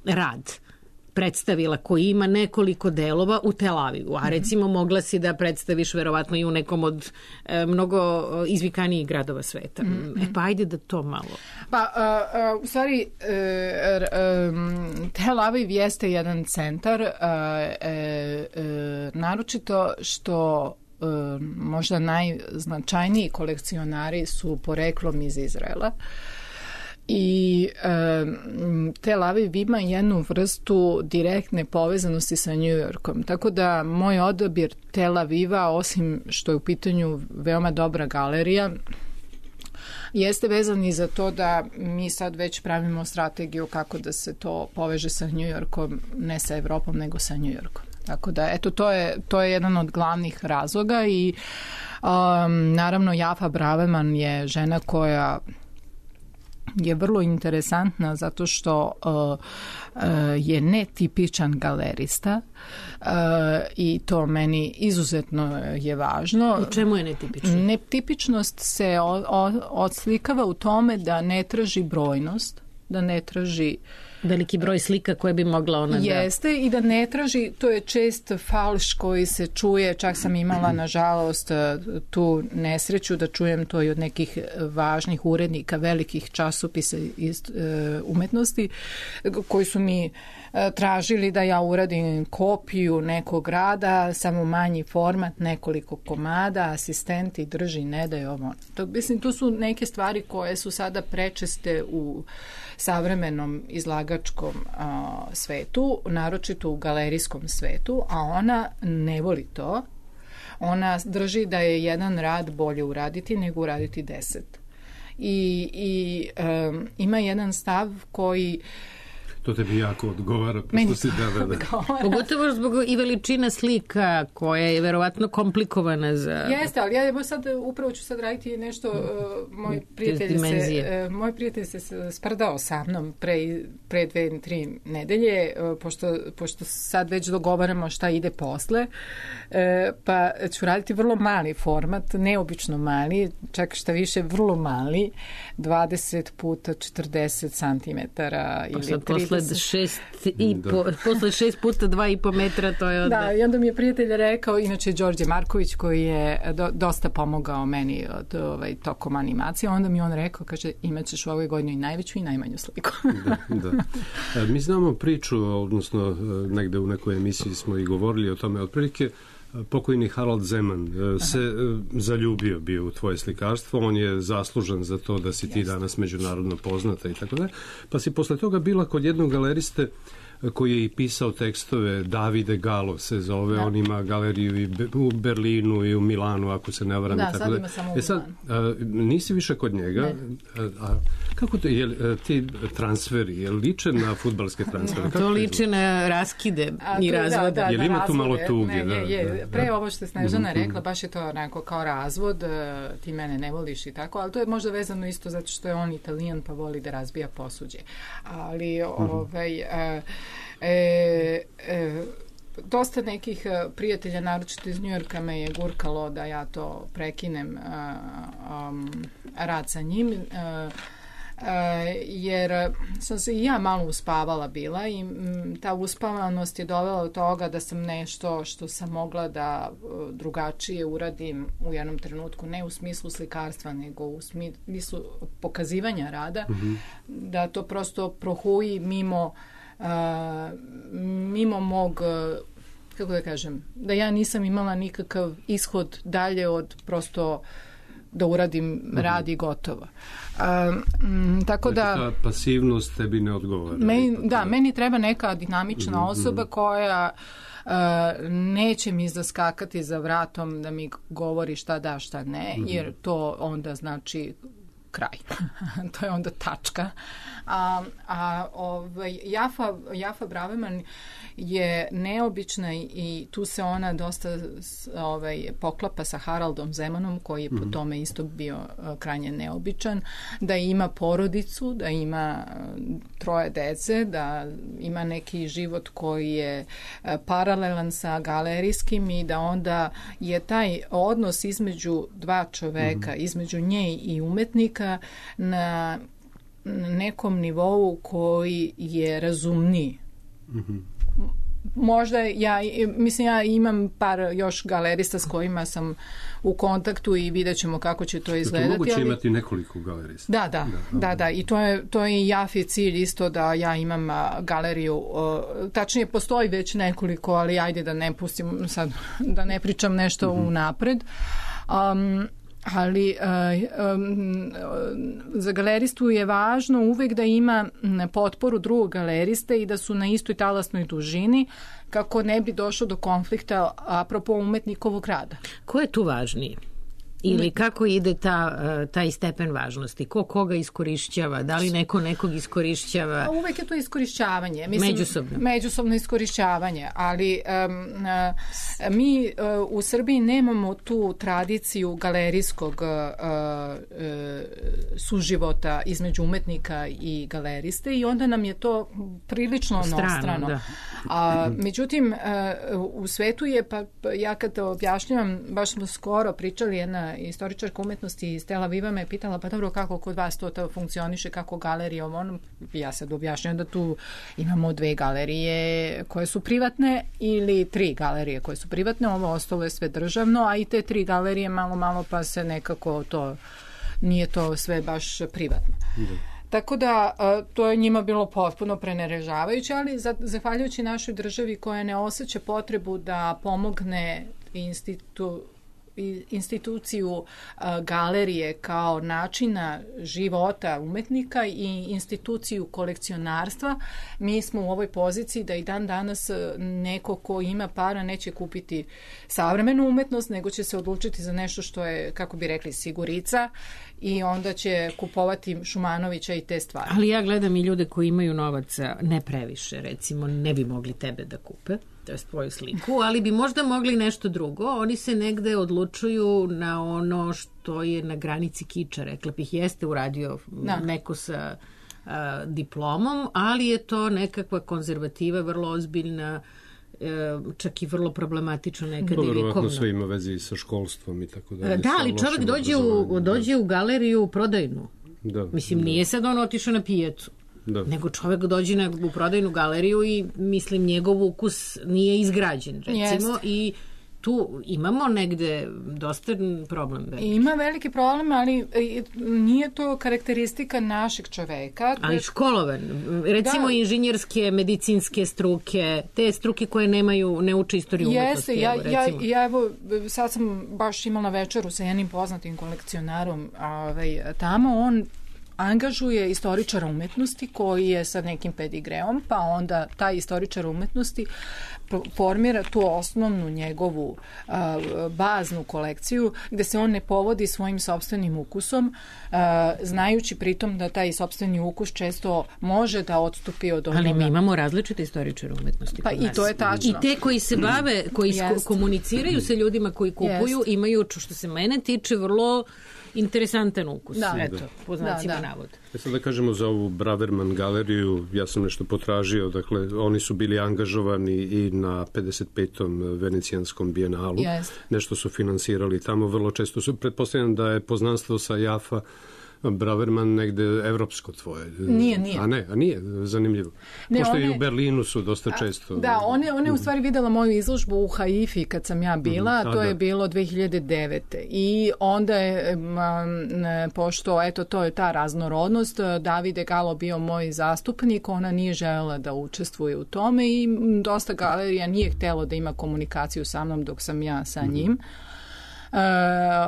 S3: rad predstavila koji ima nekoliko delova u Tel Avivu, a recimo mogla si da predstaviš verovatno i u nekom od e, mnogo izvikanijih gradova sveta. Mm-hmm. E pa ajde da to malo.
S6: Pa, uh, uh, u stvari, uh, um, Tel Aviv jeste jedan centar, uh, uh, uh, naročito što uh, možda najznačajniji kolekcionari su poreklom iz Izraela. I e, Tel Aviv ima jednu vrstu direktne povezanosti sa New Yorkom. Tako da moj odabir Tel Aviva, osim što je u pitanju veoma dobra galerija, jeste vezan i za to da mi sad već pravimo strategiju kako da se to poveže sa New Yorkom, ne sa Evropom, nego sa New Yorkom. Tako da, eto, to je, to je jedan od glavnih razloga i um, naravno Jafa Braverman je žena koja je vrlo interesantna zato što uh, uh, je netipičan galerista uh, i to meni izuzetno je važno.
S3: U čemu je netipično?
S6: Netipičnost se o, o, odslikava u tome da ne traži brojnost, da ne traži
S3: veliki broj slika koje bi mogla ona da...
S6: Jeste i da ne traži, to je čest falš koji se čuje, čak sam imala nažalost tu nesreću da čujem to i od nekih važnih urednika velikih časopisa iz uh, umetnosti koji su mi uh, tražili da ja uradim kopiju nekog rada, samo manji format, nekoliko komada, asistenti drži, ne daj ovo. To, mislim, to su neke stvari koje su sada prečeste u savremenom izlagačkom a, svetu, naročito u galerijskom svetu, a ona ne voli to. Ona drži da je jedan rad bolje uraditi nego uraditi deset. I, i um, ima jedan stav koji
S4: To tebi jako odgovara, pošto si da, da, da.
S3: Pogotovo zbog i veličina slika koja je verovatno komplikovana za...
S6: Jeste, ali ja sad upravo ću sad raditi nešto, uh, moj prijatelj se, uh, moj prijatelj se sprdao sa mnom pre, pre dve, tri nedelje, uh, pošto, pošto sad već dogovaramo šta ide posle, uh, pa ću raditi vrlo mali format, neobično mali, čak šta više vrlo mali, dvadeset puta četrdeset centimetara ili trideset.
S3: Posle šest, i po, posle šest puta dva i po metra, to je onda...
S6: Da, i onda mi je prijatelj rekao, inače Đorđe Marković, koji je do, dosta pomogao meni od, ovaj, tokom animacije, onda mi on rekao, kaže, imat ćeš u ovoj godini i najveću i najmanju sliku.
S4: Da, da. E, mi znamo priču, odnosno negde u nekoj emisiji smo i govorili o tome, otprilike pokojni Harald Zeman se Aha. zaljubio bio u tvoje slikarstvo, on je zaslužan za to da si ti Jeste. danas međunarodno poznata i tako da. Pa si posle toga bila kod jednog galeriste koji je i pisao tekstove, Davide Galo se zove, da. On ima galeriju i u Berlinu i u Milanu, ako se ne varam.
S6: Da,
S4: tako
S6: sad
S4: da.
S6: ima samo u
S4: e sad, a, nisi više kod njega, a, a kako to, je, ti transferi, je liče na fudbalske transfere?
S3: To liče na raskide
S6: a,
S3: i razvode.
S6: Da, da,
S4: je li ima tu malo tuge?
S6: Ne, je, je.
S4: Da, da,
S6: Pre
S4: da.
S6: ovo što je Snežana mm-hmm. rekla, baš je to onako kao razvod, ti mene ne voliš i tako, ali to je možda vezano isto zato što je on Italijan pa voli da razbija posuđe. Ali, mm-hmm. ovaj... A, E, e, dosta nekih prijatelja, naročito iz Njujorka, me je gurkalo da ja to prekinem a, um, rad sa njim, a, a, jer sam se i ja malo uspavala bila i m, ta uspavanost je dovela do toga da sam nešto što sam mogla da drugačije uradim u jednom trenutku, ne u smislu slikarstva, nego u smislu pokazivanja rada, mm-hmm. da to prosto prohuji mimo Uh, mimo mog, uh, kako da kažem, da ja nisam imala nikakav ishod dalje od prosto da uradim mm-hmm. rad i gotovo. Um, tako
S4: znači,
S6: da...
S4: ta pasivnost tebi ne odgovara.
S6: Meni, da, meni treba neka dinamična mm-hmm. osoba koja Uh, neće mi zaskakati za vratom da mi govori šta da, šta ne, mm-hmm. jer to onda znači kraj. To je onda tačka. A, a ovaj, Jafa, Jafa Braverman je neobična i tu se ona dosta ovaj, poklapa sa Haraldom Zemanom, koji je po tome isto bio uh, krajnje neobičan, da ima porodicu, da ima uh, troje dece, da ima neki život koji je uh, paralelan sa galerijskim i da onda je taj odnos između dva čoveka, mm-hmm. između nje i umetnika na nekom nivou koji je razumniji. Mm-hmm. Možda ja, mislim ja imam par još galerista s kojima sam u kontaktu i vidjet ćemo kako će to izgledati.
S4: To moguće
S6: ali...
S4: imati nekoliko galerista.
S6: Da, da, da, da, da. I to je, to je Jafi cilj isto da ja imam a, galeriju. A, tačnije, postoji već nekoliko, ali ajde da ne pustim sad, da ne pričam nešto mm-hmm. unapred. Um, ali uh, um, za galeristu je važno uvek da ima potporu drugog galeriste i da su na istoj talasnoj dužini kako ne bi došlo do konflikta apropo umetnikovog rada.
S3: Ko je tu važniji? Ili kako ide ta, taj stepen važnosti? Ko koga iskorišćava? Da li neko nekog iskorišćava?
S6: Uvek je to iskorišćavanje. Mislim,
S3: međusobno.
S6: Međusobno iskorišćavanje. Ali um, uh, mi uh, u Srbiji nemamo tu tradiciju galerijskog uh, uh, suživota između umetnika i galeriste i onda nam je to prilično nostrano. Da. A, međutim, uh, u svetu je, pa ja kad objašnjavam, baš smo skoro pričali, jedna istoričarka umetnosti iz Tel Aviva me pitala, pa dobro, kako kod vas to, to funkcioniše, kako galerija, ono, ja sad objašnjam da tu imamo dve galerije koje su privatne ili tri galerije koje su privatne, ovo ostalo je sve državno, a i te tri galerije malo, malo pa se nekako to, nije to sve baš privatno. Da. Tako da to je njima bilo potpuno prenerežavajuće, ali zahvaljujući našoj državi koja ne osjeća potrebu da pomogne institu instituciju uh, galerije kao načina života umetnika i instituciju kolekcionarstva, mi smo u ovoj poziciji da i dan danas neko ko ima para neće kupiti savremenu umetnost, nego će se odlučiti za nešto što je, kako bi rekli, sigurica i onda će kupovati Šumanovića i te stvari.
S3: Ali ja gledam i ljude koji imaju novaca, ne previše, recimo, ne bi mogli tebe da kupe, to je svoju sliku, ali bi možda mogli nešto drugo. Oni se negde odlučuju na ono što je na granici kiča, rekla bih, jeste uradio da. neko sa a, diplomom, ali je to nekakva konzervativa, vrlo ozbiljna, e, čak i vrlo problematično nekad i vjekovno.
S4: Vjerovatno sve ima vezi sa školstvom i tako da.
S3: Da, ali čovjek dođe u, dođe u galeriju prodajnu. Da, Mislim, da. nije sad on otišao na pijacu. Da. Nego čovjek dođe na, u prodajnu galeriju i mislim njegov ukus nije izgrađen, recimo, Jest. i tu imamo negde dosta problem. Veliki.
S6: Ima veliki problem, ali nije to karakteristika našeg čoveka.
S3: Ali školovan. Recimo da. inženjerske, medicinske struke, te struke koje nemaju, ne uče istoriju umetnosti.
S6: Jeste, ja, ja, ja evo, sad sam baš imala večeru sa jednim poznatim kolekcionarom ovaj, tamo, on angažuje istoričara umetnosti koji je sa nekim pedigreom, pa onda taj istoričar umetnosti formira tu osnovnu njegovu a, baznu kolekciju gde se on ne povodi svojim sopstvenim ukusom, a, znajući pritom da taj sopstveni ukus često može da odstupi od onoga.
S3: Ali mi imamo različite istoričare umetnosti.
S6: Pa i to je tačno.
S3: I te koji se bave, koji
S6: Jest.
S3: komuniciraju sa ljudima koji kupuju, Jest. imaju, što se mene tiče, vrlo interesantan ukus. Da. Eto, po znacima da, da. navoda.
S4: Ja sad da kažemo za ovu Braverman galeriju, ja sam nešto potražio, dakle, oni su bili angažovani i na pedeset petom venecijanskom bijenalu.
S6: Yes.
S4: Nešto su finansirali tamo, vrlo često su, pretpostavljam da je poznanstvo sa Jafa Braverman negde evropsko tvoje.
S6: Nije, nije.
S4: A ne, a nije, zanimljivo. Ne, Pošto one, i u Berlinu su dosta često.
S6: Da, one, one u stvari videla moju izložbu u Haifi kad sam ja bila, mm, to je da. bilo dve hiljade devete. I onda je, pošto, eto, to je ta raznorodnost, Davide Galo bio moj zastupnik, ona nije želela da učestvuje u tome i dosta galerija nije htjelo da ima komunikaciju sa mnom dok sam ja sa njim.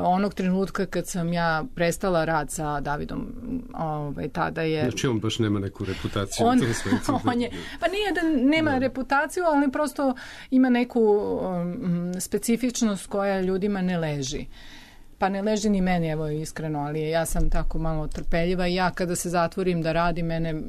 S6: onog trenutka kad sam ja prestala rad sa Davidom, ovaj, tada je...
S4: Znači on baš nema neku reputaciju
S6: on,
S4: u tom svetu.
S6: On je, pa nije da nema da. reputaciju, ali prosto ima neku um, specifičnost koja ljudima ne leži. Pa ne leži ni meni, evo iskreno, ali ja sam tako malo trpeljiva i ja kada se zatvorim da radim, mene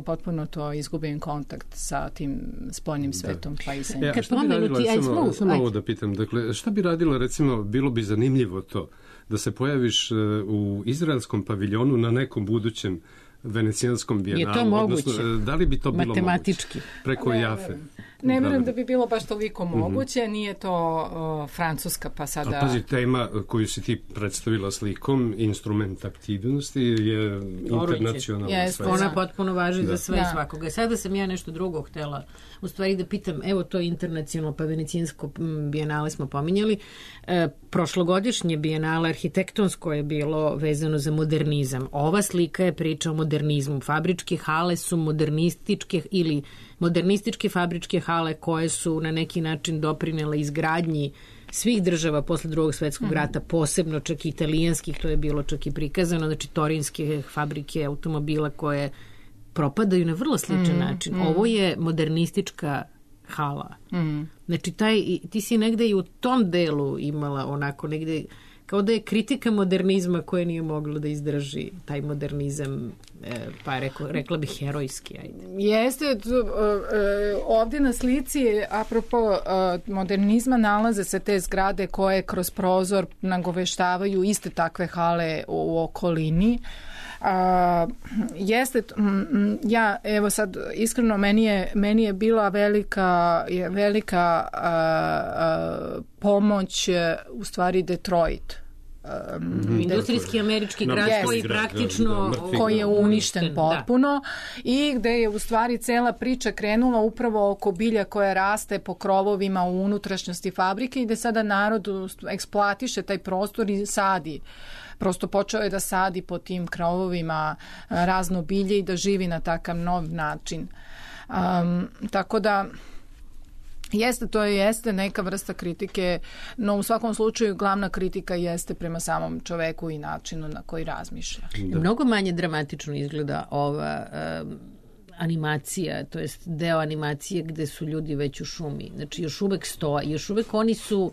S6: potpuno to izgubim kontakt sa tim spoljnim svetom. Da. Pa i sa
S4: ja, šta bi radila,
S3: ti,
S4: samo, samo ovo da pitam, dakle, šta bi radila, recimo, bilo bi zanimljivo to, da se pojaviš uh, u izraelskom paviljonu na nekom budućem venecijanskom bijenalu.
S3: Je to moguće?
S4: Odnosno, da li bi to bilo
S3: matematički
S4: moguće? Preko ne, Jafe.
S6: Ne vjerujem da bi bilo baš toliko moguće, mm-hmm. nije to uh, Francuska pa sada...
S4: A pazi, tema koju si ti predstavila slikom, instrument aktivnosti, je internacionalna.
S3: Yes, ona potpuno važi da. za sve da. svakoga. Sada sam ja nešto drugo htjela, u stvari da pitam, evo to internacionalno, pa venecijansko bijenale smo pominjali, e, prošlogodišnje bijenale arhitektonsko je bilo vezano za modernizam. Ova slika je priča o modernizmu. Fabričke hale su modernističke ili modernističke fabričke hale koje su na neki način doprinele izgradnji svih država posle drugog svetskog rata, posebno čak i italijanskih, to je bilo čak i prikazano, znači torinske fabrike automobila koje propadaju na vrlo sličan mm, način. Mm. Ovo je modernistička hala. Mm. Znači, taj, ti si negde i u tom delu imala onako negde, kao da je kritika modernizma koje nije moglo da izdrži taj modernizam, pa rekla, rekla bih herojski. Ajde.
S6: Jeste, ovdje na slici, apropo modernizma, nalaze se te zgrade koje kroz prozor nagoveštavaju iste takve hale u okolini. A, jeste, ja, evo sad, iskreno, meni je, meni je bila velika, velika a, a, pomoć, u stvari, Detroit.
S3: Um, industrijski američki grad yes, koji praktično
S6: da, koji je uništen potpuno da. I gde je u stvari cela priča krenula upravo oko bilja koja raste po krovovima u unutrašnjosti fabrike i gde sada narod eksploatiše taj prostor i sadi. Prosto počeo je da sadi po tim krovovima razno bilje i da živi na takav nov način. Um, tako da jeste, to je, jeste neka vrsta kritike, no u svakom slučaju glavna kritika jeste prema samom čoveku i načinu na koji razmišlja.
S3: Da. Mnogo manje dramatično izgleda ova um, animacija, to jest deo animacije gde su ljudi već u šumi. Znači još uvek stoje, još uvek oni su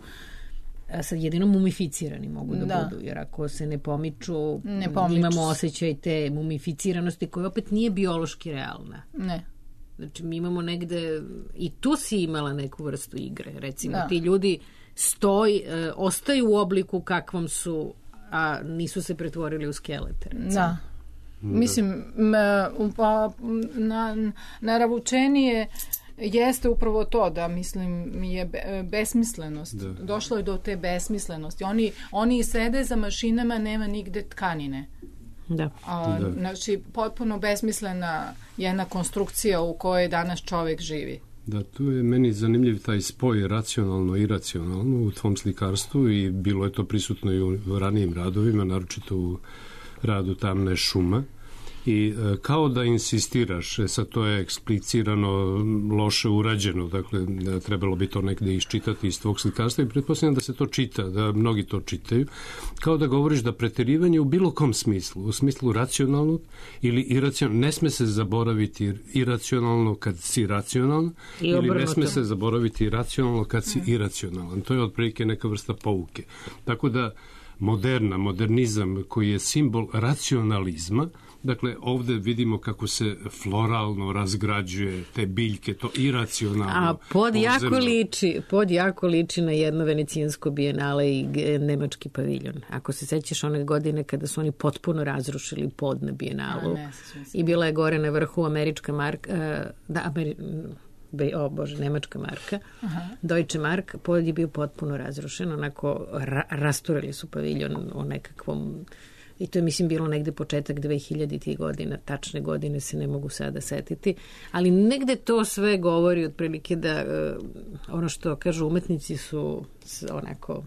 S3: sad jedino mumificirani mogu da, da budu, jer ako se ne pomiču, ne pomiču imamo osjećaj te mumificiranosti koja opet nije biološki realna.
S6: Ne.
S3: Znači, mi imamo negde, i tu si imala neku vrstu igre. Recimo, da. Ti ljudi stoj, e, ostaju u obliku kakvom su, a nisu se pretvorili u skelete. Recimo. Da.
S6: Mislim, pa, na, naravučenije jeste upravo to da, mislim, je besmislenost. Da. Došlo je do te besmislenosti. Oni, oni sede za mašinama, nema nigde tkanine.
S3: Da.
S6: A,
S4: da.
S6: Znači, potpuno besmislena jedna konstrukcija u kojoj danas čovjek živi.
S4: Da, tu je meni zanimljiv taj spoj racionalno i iracionalno u tvom slikarstvu i bilo je to prisutno i u ranijim radovima, naročito u radu Tamna šuma. I e, kao da insistiraš, e, sad to je eksplicirano loše urađeno, dakle da trebalo bi to negde iščitati iz tvog slikarstva i pretpostavljam da se to čita, da mnogi to čitaju, kao da govoriš da preterivanje u bilo kom smislu, u smislu racionalnog ili iracionalnog, ne sme se zaboraviti iracionalno kad si racionalan I ili ne sme se zaboraviti racionalno kad si iracionalan. To je otprilike neka vrsta pouke. Tako da moderna, modernizam koji je simbol racionalizma, dakle, ovdje vidimo kako se floralno razgrađuje te biljke, to iracionalno.
S3: A pod jako, liči, pod jako liči na jedno venecijansko bijenale i nemački paviljon. Ako se sećaš one godine kada su oni potpuno razrušili pod na bijenalu. A, ne, i bila je gore na vrhu američka marka, da, Ameri, o bože, nemačka marka, aha. Deutsche Mark, pod je bio potpuno razrušen, onako ra, rasturili su paviljon o nekakvom. I to je, mislim, bilo negde početak dve hiljaditih godina, tačne godine se ne mogu sada setiti, ali negde to sve govori otprilike da uh, ono što kažu umetnici su onako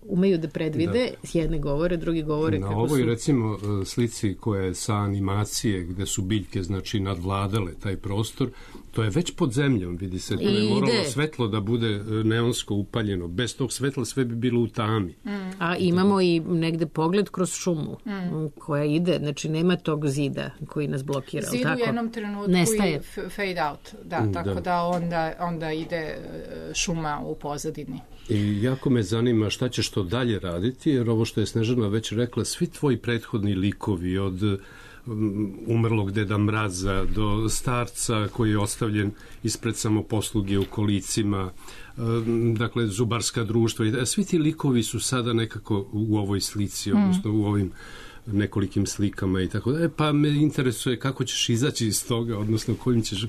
S3: umeju da predvide, da. Jedne govore, drugi govore
S4: na
S3: kako
S4: ovoj,
S3: su...
S4: recimo, slici koja je sa animacije, gde su biljke, znači, nadvladale taj prostor, To je već pod zemljom, vidi se. To je
S3: Ide.
S4: moralo svetlo da bude neonsko upaljeno. Bez tog svetla sve bi bilo u tami.
S3: Mm. A imamo i negde pogled kroz šumu mm. koja ide, znači nema tog zida koji nas blokira.
S6: Zid
S3: tako?
S6: u jednom trenutku
S3: Nestaje.
S6: i fade out. Da, mm, tako da, da onda, onda ide šuma u pozadini.
S4: I jako me zanima šta ćeš to dalje raditi, jer ovo što je Snežana već rekla, svi tvoji prethodni likovi od umrlog Deda Mraza do starca koji je ostavljen ispred samoposluge u kolicima, dakle zubarska društva, i svi ti likovi su sada nekako u ovoj slici, odnosno u ovim nekolikim slikama i tako da. Pa me interesuje kako ćeš izaći iz toga, odnosno kojim ćeš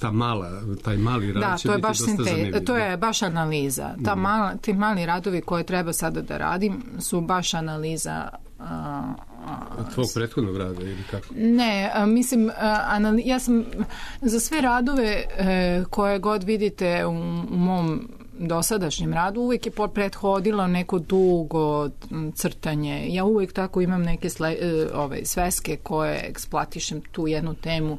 S4: ta mala, taj mali rad
S6: da,
S4: će
S6: to je
S4: biti
S6: baš
S4: dosta
S6: sinte,
S4: zanimljiv.
S6: to je baš analiza. Ta mala, ti mali radovi koje treba sada da radim su baš analiza a,
S4: a, tvog prethodnog rada ili kako?
S6: Ne, a, mislim, a, anali, ja sam za sve radove e, koje god vidite u, u mom dosadašnjem radu uvijek je prethodilo neko dugo crtanje. Ja uvijek tako imam neke sle, ove, sveske koje eksploatišem tu jednu temu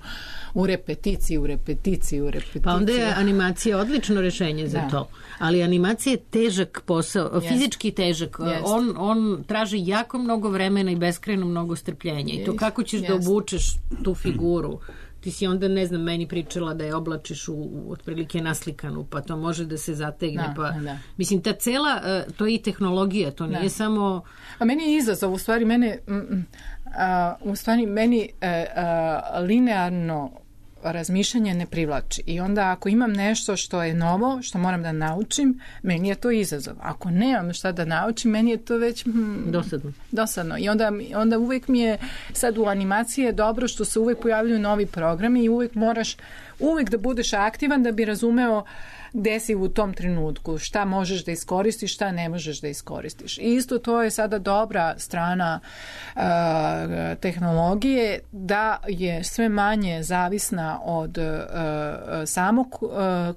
S6: u repeticiji, u repeticiji, u repeticiji.
S3: Pa onda je animacija odlično rešenje za da. to. Ali animacija je težak posao, yes. fizički težak. Yes. On, on traži jako mnogo vremena i beskrajno mnogo strpljenja. I to kako ćeš yes. da obučeš tu figuru. Ti si onda, ne znam, meni pričala da je oblačiš u, u otprilike naslikanu, pa to može da se zategne. Da, pa, da. Mislim, ta cela, to je i tehnologija, to nije da. samo...
S6: A meni je izazov, u stvari, mene, a, u stvari, meni a, a, linearno razmišljanje ne privlači. I onda ako imam nešto što je novo, što moram da naučim, meni je to izazov. Ako nemam šta da naučim, meni je to već hmm,
S3: dosadno.
S6: dosadno. I onda, onda uvijek mi je sad u animaciji je dobro što se uvijek pojavljuju novi programi i uvijek moraš uvijek da budeš aktivan da bi razumeo gde si u tom trenutku, šta možeš da iskoristiš, šta ne možeš da iskoristiš. I isto to je sada dobra strana uh, tehnologije, da je sve manje zavisna od uh, samog uh,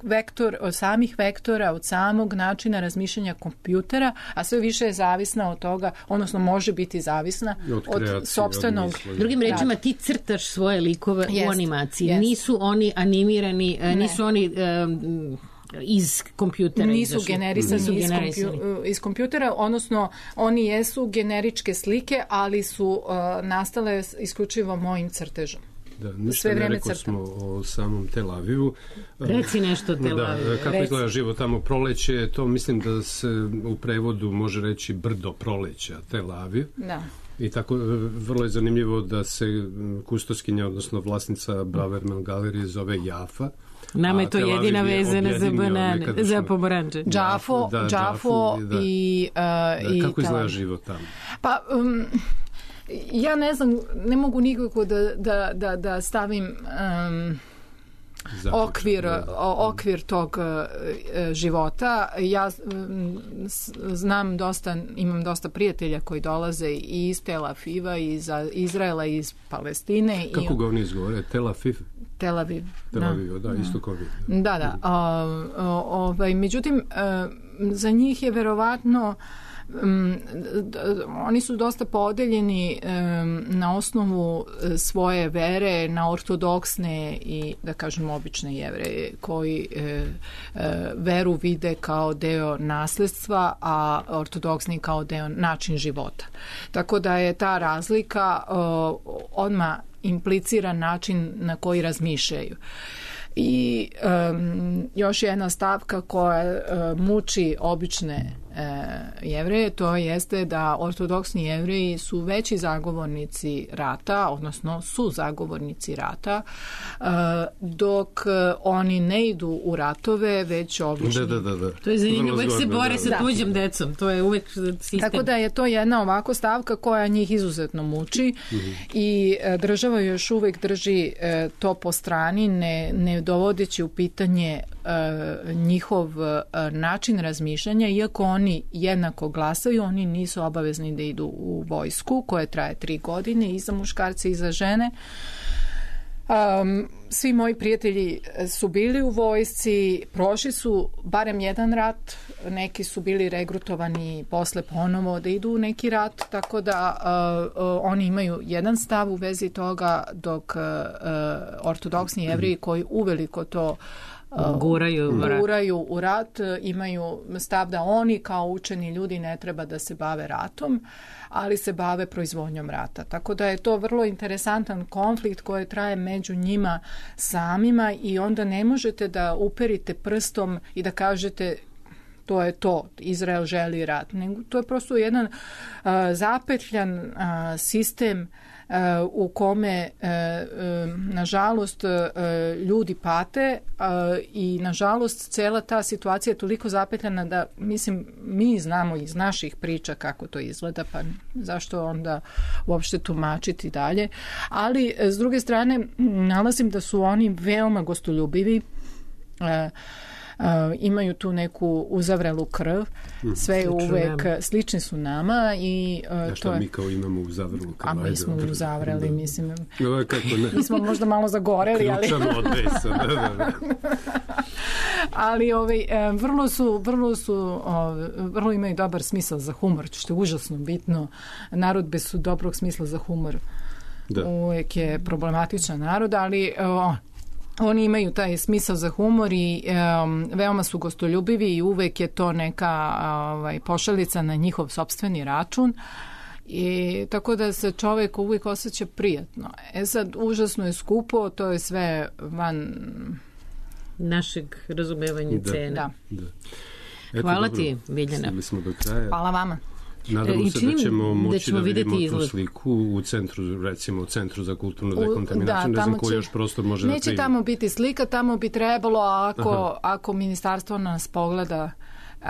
S6: vektor, od samih vektora, od samog načina razmišljanja kompjutera, a sve više je zavisna od toga, odnosno može biti zavisna od, kreacije, od sopstvenog.
S3: Od Drugim rečima, ti crtaš svoje likove jest, u animaciji. Jest. Nisu oni animirani, ne. nisu oni... Um, iz kompjutera
S6: nisu generisani, nisu iz, kompju, iz kompjutera, odnosno oni jesu generičke slike, ali su uh, nastale isključivo mojim crtežom.
S4: Da, ništa ne rekao smo o samom Tel Avivu.
S3: Reci nešto o Tel Avivu.
S4: Da, kako
S3: Reci.
S4: izgleda život tamo proleće, to mislim da se u prevodu može reći brdo proleća Tel Aviv.
S6: Da.
S4: I tako vrlo je zanimljivo da se kustoskinja, odnosno vlasnica Braverman galerije zove Jafa.
S3: Nama je to jedina vezana za banane, za pomoranče.
S6: Džafo,
S4: da,
S6: Džafo da. i... Uh,
S4: da,
S6: i
S4: kako izgleda život tamo?
S6: Pa... Um, ja ne znam, ne mogu nikako da, da, da, da stavim... Um, okvir, okvir tog uh, života. Ja um, znam dosta, imam dosta prijatelja koji dolaze i iz Tel Aviva, iz Izraela, iz Palestine.
S4: Kako
S6: i,
S4: ga oni izgovore? Tel Aviv?
S6: Tel Aviv.
S4: Tel Aviv, da, da, isto kao vi.
S6: Da, da. Uh, ovaj, međutim, uh, za njih je verovatno Um, oni su dosta podeljeni um, na osnovu svoje vere na ortodoksne i, da kažem, obične Jevreje koji e, e, veru vide kao deo nasledstva, a ortodoksni kao deo način života. Tako da je ta razlika o, odmah implicira način na koji razmišljaju. I um, još jedna stavka koja uh, muči obične uh, Jevreje, to jeste da ortodoksni Jevreji su veći zagovornici rata, odnosno su zagovornici rata, uh, dok uh, oni ne idu u ratove, već obični.
S4: Da, da, da, da.
S3: To je zanimljivo, uvek se bore da, sa da. tuđim decom, to je uvek sistem.
S6: Tako da je to jedna ovako stavka koja njih izuzetno muči mm-hmm. i uh, država još uvek drži uh, to po strani, ne, ne dovodeći u pitanje uh, njihov uh, način razmišljanja, iako oni jednako glasaju, oni nisu obavezni da idu u vojsku koja traje tri godine i za muškarce i za žene. Um, svi moji prijatelji su bili u vojsci, prošli su barem jedan rat, neki su bili regrutovani posle ponovo da idu u neki rat, tako da uh, uh, oni imaju jedan stav u vezi toga, dok uh, ortodoksni Jevreji koji uveliko to
S3: Uh, guraju,
S6: guraju u rat, imaju stav da oni kao učeni ljudi ne treba da se bave ratom, ali se bave proizvodnjom rata. Tako da je to vrlo interesantan konflikt koji traje među njima samima i onda ne možete da uperite prstom i da kažete to je to, Izrael želi rat. Nego to je prosto jedan uh, zapetljan uh, sistem Uh, u kome uh, uh, nažalost uh, ljudi pate uh, i nažalost cela ta situacija je toliko zapetljana da mislim mi znamo iz naših priča kako to izgleda, pa zašto onda uopšte tumačiti dalje, ali s druge strane nalazim da su oni veoma gostoljubivi, uh, Uh, imaju tu neku uzavrelu krv, sve je uvek nama. Slični su nama i uh,
S4: ja šta
S6: to je...
S4: mi kao imamo uzavrelu krv?
S6: A mi smo
S4: ajde,
S6: uzavreli,
S4: da.
S6: mislim.
S4: No, kako ne?
S6: Mi smo možda malo zagoreli, ali...
S4: Ključamo od besa, da, da, da.
S6: ali ovaj, vrlo su, vrlo su, ovaj, vrlo imaju dobar smisao za humor, što je užasno bitno. Narod bez su dobrog smisla za humor. Da. Uvijek je problematičan narod, ali... Oh, oni imaju taj smisao za humor i um, veoma su gostoljubivi i uvek je to neka ovaj, pošalica na njihov sopstveni račun. I tako da se čovjek uvijek osjeća prijatno. E sad, užasno je skupo, to je sve van
S3: našeg razumevanja
S4: da.
S3: cene.
S6: Da.
S4: Da. Eto,
S3: hvala
S4: dobro,
S3: ti, Biljana.
S4: Smo do kraja.
S6: Hvala vama.
S4: Nadamo
S3: I
S4: se da ćemo moći da, ćemo da vidimo
S3: izgled.
S4: tu sliku u centru, recimo u centru za kulturnu dekontaminaciju,
S6: da,
S4: ne znam ko još prostor može da primi.
S6: Neće tamo biti slika, tamo bi trebalo ako, ako ministarstvo nas pogleda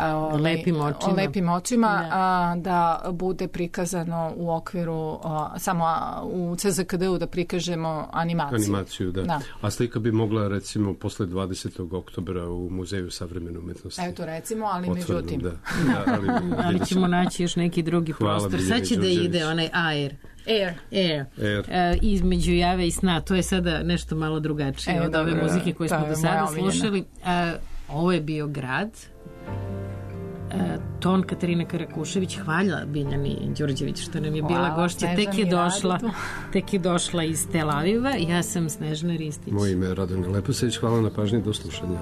S3: O lepim očima,
S6: lepim očima
S3: da.
S6: A, da bude prikazano u okviru a, samo a, u C Z K D-u da prikažemo animaciju.
S4: Animaciju, da.
S6: da.
S4: A slika bi mogla recimo posle dvadesetog oktobra u Muzeju savremene umetnosti.
S6: Eto recimo, ali
S4: otvoreno,
S6: međutim.
S4: Da. Da, ali,
S3: ali ćemo naći još neki drugi
S4: Hvala
S3: prostor.
S4: Biljani
S3: Sad će
S4: Đurđević.
S3: da ide onaj air.
S6: Air.
S3: Air.
S4: Air.
S3: E, između jave i sna. To je sada nešto malo drugačije
S6: e,
S3: od ove
S6: dobro,
S3: muzike koje smo do sada slušali. E, ovo je bio grad. E, ton Katarina Karakušević, hvala Biljani Đurđević što nam je
S6: hvala,
S3: bila gošća, tek je došla tek je došla iz Tel Aviva. Ja sam Snežana Ristić.
S4: Moje ime je Radomir Leposević, hvala na pažnji, do slušanja.